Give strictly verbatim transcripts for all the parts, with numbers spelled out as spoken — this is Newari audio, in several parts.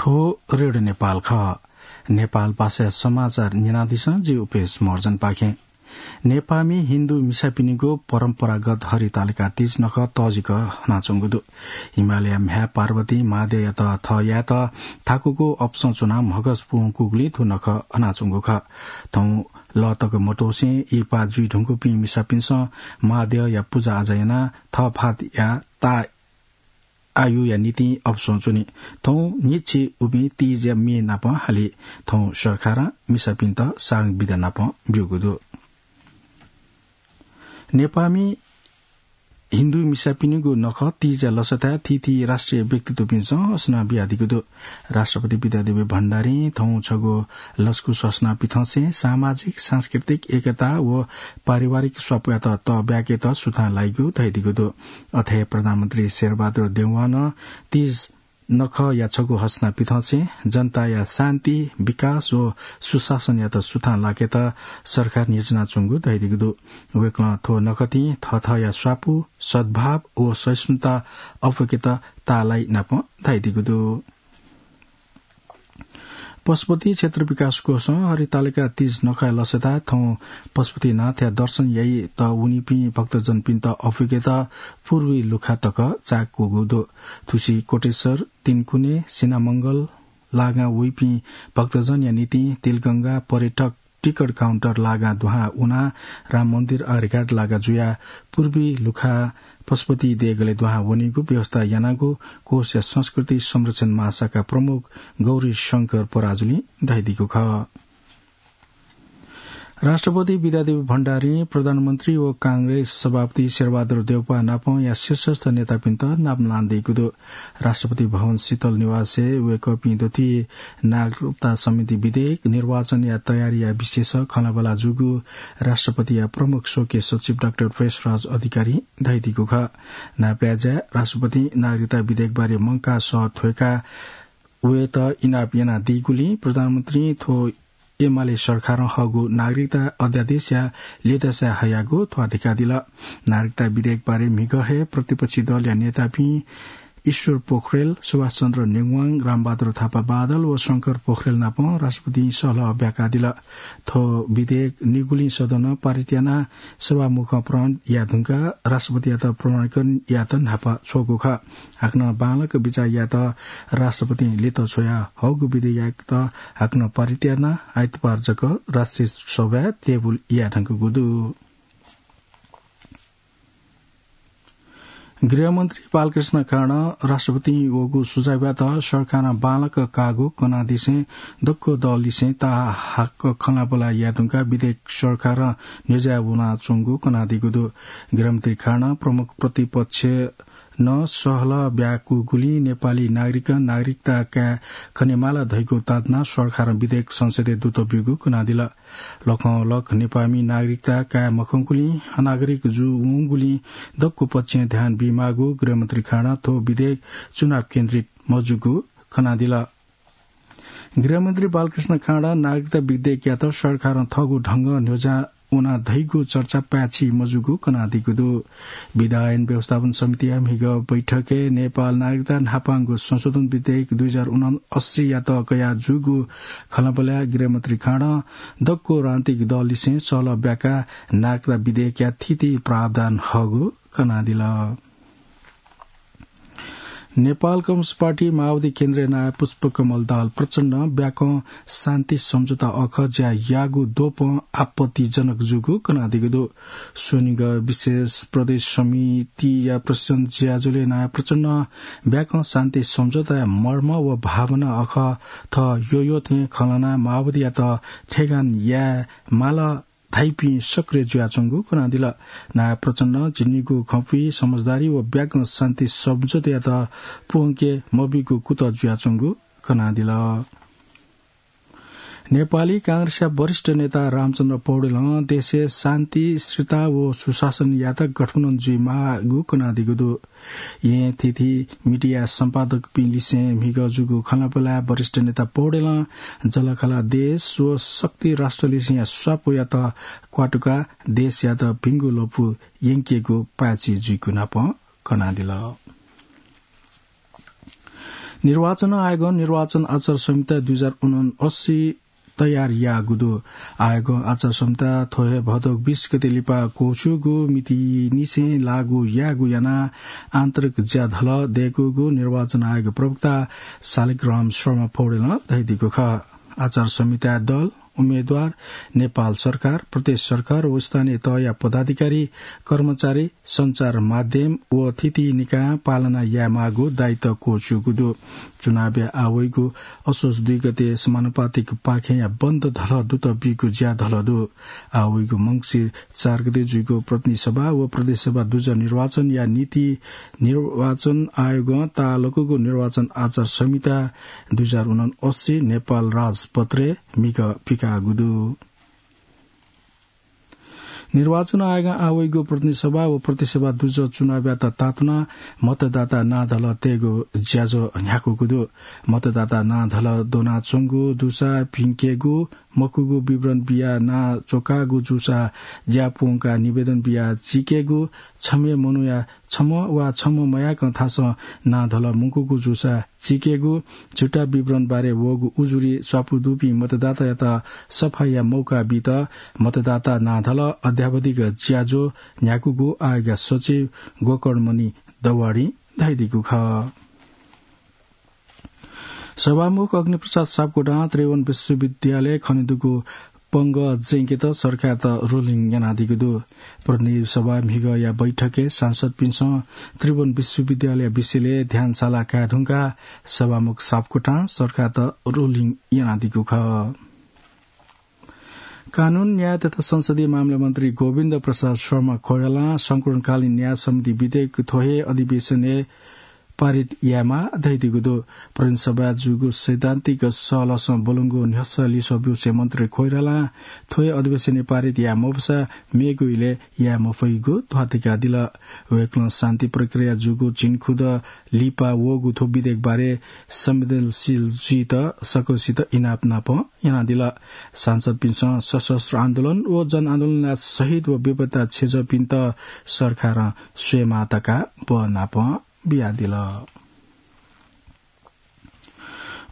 थ्व रेडियो नेपाल खः। नेपाल भाषा समाचार न्यनादिसँ, जि उपेश महर्जनपाखें। नेपाःमि हिन्दू मिसापिनिगु परम्परागत हरितालिका तीज नखः तःजिक हनाच्वंगु दु। हिमालय म्ह्याय् पार्वती महाद्यःयात थः यायेत थाकुगु अपसं च्वनाः म्हगस पूवंकूगुलिं थ्व नखः हनाच्वंगु खः। थौं लः तक मत्वःसें इहिपा जुइ धुंकूपिं मिसापिन्सं महाद्यःया पुजाआजा यानाः थःफातया ता आयुया निंतिं अपसं च्वनी। थौं न्हिच्छि उपिं तीजया म्ये नाप हाली। थौं सरकारं मिसापिन्त सारंग बिदा नाप ब्यूगु दु। नेपाःमि हिन्दू मिसापिनिगु नखः तीजया लसताय् थीथी राष्ट्रिय व्यक्तित्वपिन्सं हसना बियादीगु दु। राष्ट्रपति विद्यादेवी भण्डारीं थौं छगू लसकुस हसना पिथंसें सामाजिक, सांस्कृतिक एकता व पारिवारिक स्वापुयात तःब्याकेत सुथां लाइगु धयादीगु दु। अथे प्रधानमन्त्री शेरबहादुर देउवां नं तीज नखःया छगू हसना पिथंसें जनताया शान्ति, विकास व सुशासनयात सुथां लाकेत सरकारं न्ह्यचिनाच्वंगु धयादीगु दु। वय्कलं थ्व नखःतिं थःथःया स्वापु, सद्भाव व सहिष्णुता अप्वय्केत ताःलाइ नाप धयादीगु दु। पशुपति क्षेत्र विकास कोषं हरितालिका तीज नखःया लसताय् थौं पशुपतिनाथया दर्शन याइत वनीपिं भक्तजनपिन्त अप्वय्केत पूर्वी लुखा तक चाःकूगु दु। थुसी कोटेश्वर, तीनकुने, सिनामंगल लागां वइपिं भक्तजनया निंतिं तिलगंगा पर्यटक टिकट काउन्टर लागां दुहां वनाः राम मन्दिर आर्यघाट लागा जुयाः पूर्वी लुखा पशुपति देगलय् दुहां वनीगु व्यवस्था यानागु कोषया संस्कृति संरक्षण महाशाखा प्रमुख गौरी शंकर पराजुलिं धयादीगु खः। राष्ट्रपति विद्यादेवी भण्डारीं प्रधानमन्त्री व कांग्रेस सभापति शेरबहादुर देउवापाः नापंया शीर्षस्थ नेतापिन्त नापलान दीगु दु। राष्ट्रपति भवन शीतल निवासय् वय्कःपिं दथुइ नागरिकता संशोधन विधेयक, निर्वाचनया तयारीया विषयस खँल्हाबल्हा जूगु राष्ट्रपतिया प्रमुख स्वकीय सचिव डाक्टर प्रेसराज अधिकारीं धयादीगु खः। नापलाय्‌ज्याय् राष्ट्रपतिं नागरिकता विधेयकबारे मंकाः सः थ्वय्काः वयेत इनाप यानादीगुलिं प्रधानमन्त्रीं थ्व एमाले सरकारं हःगु नागरिकता अध्यादेशया ल्यतासाय् हयागु थ्वाः दिकादिल। नागरिकता विधेयकबारे म्हिगः हे प्रतिपक्षी दलया नेतापिं ईश्वर पोखरेल, सुभाष चन्द्र नेवाङ, रामबहादुर थापा बादल व शंकर पोखरेल नाप राष्ट्रपतिं सहलह ब्याकादिल। थ्व विधेयक निगुलिं सदनं पारित यानाः सभामुखं प्रमाण याये धुंकाः राष्ट्रपतियात प्रमाणीकरण यायेत न्हापा छ्वःगु खः। हाकनं बांलाक बिचाः यायेत राष्ट्रपतिं ल्यत छ्वया हःगु विधेयकयात हाकनं पारित यानाः आइतबार जक राष्ट्रिय सभाय् टेबुल याये धुंकूगु दु। गृहमन्त्री बालकृष्ण खाँडं राष्ट्रपतिं वःगु सुझावयात सरकारं बांलाक काःगु कनादिसें दक्व दललिसें ताःहाकः खँल्हाबल्हा याये धुंकाः विधेयक सरकारं न्ह्यज्याः वनाच्वंगु कनादीगु दु। गृहमन्त्री खाँडं प्रमुख प्रतिपक्ष नं सहलह ब्याकूगुलिं नेपाली नागरिकं नागरिकता काये खनेमाल धइगु ताँतना सरकारं विधेयक संसदय् दुत ब्यूगु कनादिल। लखं लख नेपाःमि नागरिकता काये मखंगुलिं अनागरिक जू वंगुलिं दक्व पक्षं ध्यान बीमाःगु गृहमन्त्री खाँडं थ्व विधेयक चुनाव केन्द्रित मजूगु कनादिल। गृहमन्त्री बालकृष्ण खाँडं नागरिकता विधेयकयात सरकारं थःगु ढंगं न्ह्यज्याः वना धइगु चर्चा पाय्छि मजूगु कनादीगु दु। विधा ऐन व्यवस्थापन समितिया म्हिगः बैठकय् नेपाल नागरिकता न्हापांगु संशोधन विधेयक दुई हजार उनासीयात कयाः जूगु खँल्हाबल्हाय् गृहमन्त्री खाँडं दक्व राजनीतिक दललिसें सहलह ब्याकाः नागरिकता विधेयकया थीथी प्रावधान हःगु कनादिल। नेपाल कम्युनिस्ट पार्टी माओवादी केन्द्रया नायः पुष्पकमल दाहाल प्रचण्डं ब्याकं शान्ति सम्झौता अखः ज्या याःगु द्वपं आपत्तिजनक जूगु कनादीगु दु। स्वनिगः विशेष प्रदेश समितिया प्रशासन ज्याझ्वलय् नायः प्रचण्डं ब्याकं शान्ति सम्झौताया मर्म व भावना अखः थः यःयःथें खँ ल्हानाः माओवादीयात थेगान याये माल धाइपिं सक्रिय जुयाच्वंगु कनादिल। नायः प्रचण्डं झिंनिगू खँपुइ समझदारी व ब्याकं शान्ति सम्झौतायात प्वंके मबीगु कुतः जुयाच्वंगु कनादिल। नेपाली कांग्रेसया वरिष्ठ नेता रामचन्द्र पौडेलं देशय् शान्ति, स्थिरता व सुशासन यायेत गठबन्धन जुइमाःगु कनादीगु दु। येँ थीथी मिडिया सम्पादकपिं लिसें म्हिगः जूगु खँल्हाबल्हाय् वरिष्ठ नेता पौडेलं जःलाखःला देश व शक्ति राष्ट्रलिसेंया स्वापुयात क्वातुकाः देशयात भिंगु लँपु यंकेगु पाय्छि जुइगु नाप कनादिल। निर्वाचन आयोगं निर्वाचन आचार संहिता दुई हजार उनअसी तयार याःगु दु। आयोगं आचार संहिता थ्व हे भदौ बीस गते लिपा क्वःछ्यूगु मितिनिसें लागू याःगु यानाः आन्तरिक ज्याधलः दय्कूगु निर्वाचन आयोग प्रवक्ता शालिग्राम शर्मा पौडेलं धयादीगु खः। आचार संहिताय् दल, उम्मेद्वार, नेपाल सरकार, प्रदेश सरकार व स्थानीय तहया पदाधिकारी, कर्मचारी, सञ्चार माध्यम व थीथी निकायं पालना यायेमाःगु दायित्व क्वःछ्यूगु दु। चुनावया आः वइगु असोज दुई गते समानुपातिक पाखेंया बन्द धलः दुत बीगु ज्याधलः दु। आः वइगु मंसिर चार गते जुइगु प्रतिनिधि सभा व प्रदेश सभा दुजः निर्वाचनया निंतिं निर्वाचन आयोगं ताःलाकूगु निर्वाचन आचार संहिता दुई हजार उनअसी नेपाल राजपत्रय् म्हिगः पिकाःगु दु। निर्वाचन आयोगं आः वइगु प्रतिनिधि सभा व प्रदेश सभा दुजः चुनावयात तातुनाः मतदाता नां धलः तयेगु ज्याझ्वः न्ह्याकूगु दु। मतदाता नां धलः द्वनाच्वंगु दुसा भिंकेगु, मखुगु विवरण बियाः नां च्वकाःगु जूसा ज्यापु वंकाः निवेदन बियाः चीकेगु, छम्ह मनूया छम्ह वा छम्ह मयाकं थासं नां धलः मुंकूगु जूसा चीकेगु, झुटा विवरण बारे वःगु उजुरी स्वापू दुपिं मतदातायात सफाया मौका बीत मतदाता नां धलः अद्यावधिक ज्याझ्वः न्ह्याकूगु आयोगया सचिव गोकर्णमणि दवाडीं धयादीगु खः। सभामुख अग्निप्रसाद सापकोटां त्रिभुवन विश्वविद्यालय खनेदुगु पंगः ज्यंकेत सरकारयात ruling यानादीगु दु। प्रतिनिधि सभा म्हिगःया बैठकय् सांसदपिन्सं त्रिभुवन विश्वविद्यालय विषयलय् ध्यान साला काये धुंकाः सभामुख सापकोटां सरकारयात ruling यानादीगु खः। कानून, न्याय तथा संसदीय मामिला मन्त्री गोविन्द प्रसाद शर्मा कोइरालां संकलनकालीन न्याय सम्बन्धी विधेयक थ्व हे अधिवेशनय् पारित यायेमाः धयादीगु दु। प्रतिनिधि सभाय् जूगु सैद्धान्तिक सहलहसं ब्वलंगु न्ह्यसः लिसः ब्यूसें मन्त्री कोइरालां थ्व हे अधिवेशनय् पारित याये मफुसा मेगु इलय् याये मफइगु ध्वाथुइकादिल। वय्कलं शान्ति प्रक्रिया जूगु झिंखुदँ लिपा वःगु थ्व विधेयक बारे संवेदनशील जुइत सकलसित इनाप नाप यानादिल। सांसदपिन्सं सशस्त्र आन्दोलन व जनआन्दोलनया शहीद व बेपत्ता छेँजःपिन्त सरकारं स्वयेमाः धकाः बहनापं बियादिल।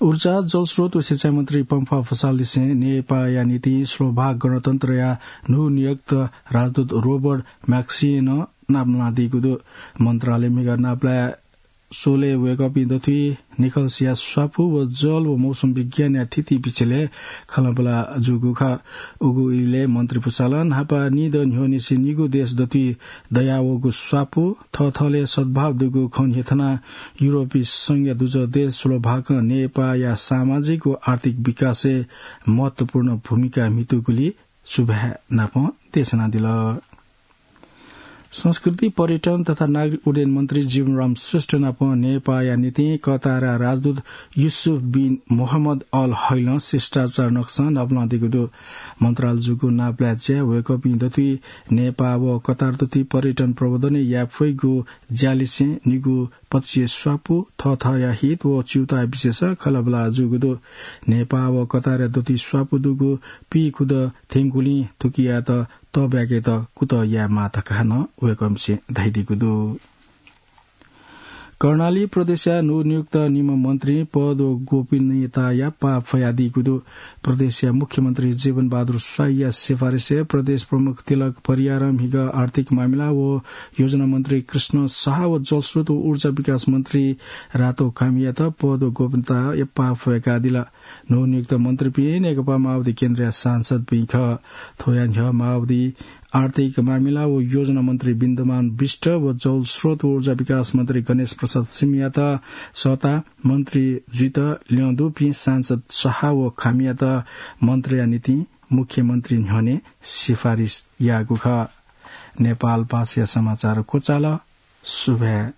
ऊर्जा, जलस्रोत व सिँचाइ मन्त्री पम्फा भुसाललिसें नेपाःया निंतिं स्लोभाक गणतन्त्रया न्हूनियुक्त राजदूत रोबर्ट म्याक्सिनं नापलानादीगु दु। मन्त्रालयं म्हिगः नापलाये स्वलय् वय्कःपिं दथुइ निखलसिया स्वापू व जल व मौसम विज्ञानया थीथी विषयलय् खँल्हाबल्हा जूगु खः। उगु इलय् मन्त्री भुसालं न्हापा निदँ न्ह्यःनिसें निगू देश दथुइ दयावःगु स्वापू, थःथःलय् सद्भाव दुगु खँ न्ह्यथनाः युरोपी संघया दुजः देश स्लोभाकं नेपाःया सामाजिक व आर्थिक विकासय् महत्वपूर्ण भूमिका म्हितूगुलिं सुभाय् नापं देछानादिल। संस्कृति, पर्यटन तथा नागरिक उड्डयन मन्त्री जीवनराम श्रेष्ठ नाप नेपाःया निंतिं कतारया राजदूत युसुफ बिन मोहम्मद अल हैलं शिष्टाचार नकसं नापलानादीगु दु। मन्त्रालयं जूगु नापलाये ज्याय् वय्कःपिं दथुइ नेपाः व कतार दथुइ पर्यटन प्रवर्धनय् याये फइगु ज्यालिसें निगू पक्षीय स्वापू, थःथःया हित व च्यूताः विषयसं खँल्हाबल्हा जूगु दु। नेपाः व कतारया दथुइ स्वापू दुगु पीखुदँ थ्यंकूगुलिं थुकियात तःब्याकेत कुतः यायेमाः धकाः नं वय्कःपिन्सं धयादीगु दु। कर्णाली प्रदेशया नवनियुक्त निम्ह मन्त्रीं पद व गोपनीयताया पाः फ्वयादीगु दु। प्रदेशया मुख्यमन्त्री जीवन बहादुर स्वाईया सिफारिसय् प्रदेश प्रमुख तिलक परियारं म्हिगः आर्थिक मामिला व योजना मन्त्री कृष्ण साह व जलस्रोत व ऊर्जा विकास मन्त्री रातो कामीयात पद व गोपनीयताया पाः फ्वयाकादिल। नवनियुक्त मन्त्रीपिं नेकपा माओवादी केन्द्रया सांसदपिं खः। थ्वया न्ह्यः माओवादी आर्थिक मामिला व योजना मन्त्री विन्दमान विष्ट व जलस्रोत व ऊर्जा विकास मन्त्री गणेश प्रसाद सिंहयात सःताः मन्त्री जुइत ल्यं दुपिं सांसद साह व कामीयात मन्त्रीया निंतिं मुख्यमन्त्री न्ह्यःने सिफारिस याःगु खः। नेपाल भाषाया समाचार क्वचाल। सुभाय्।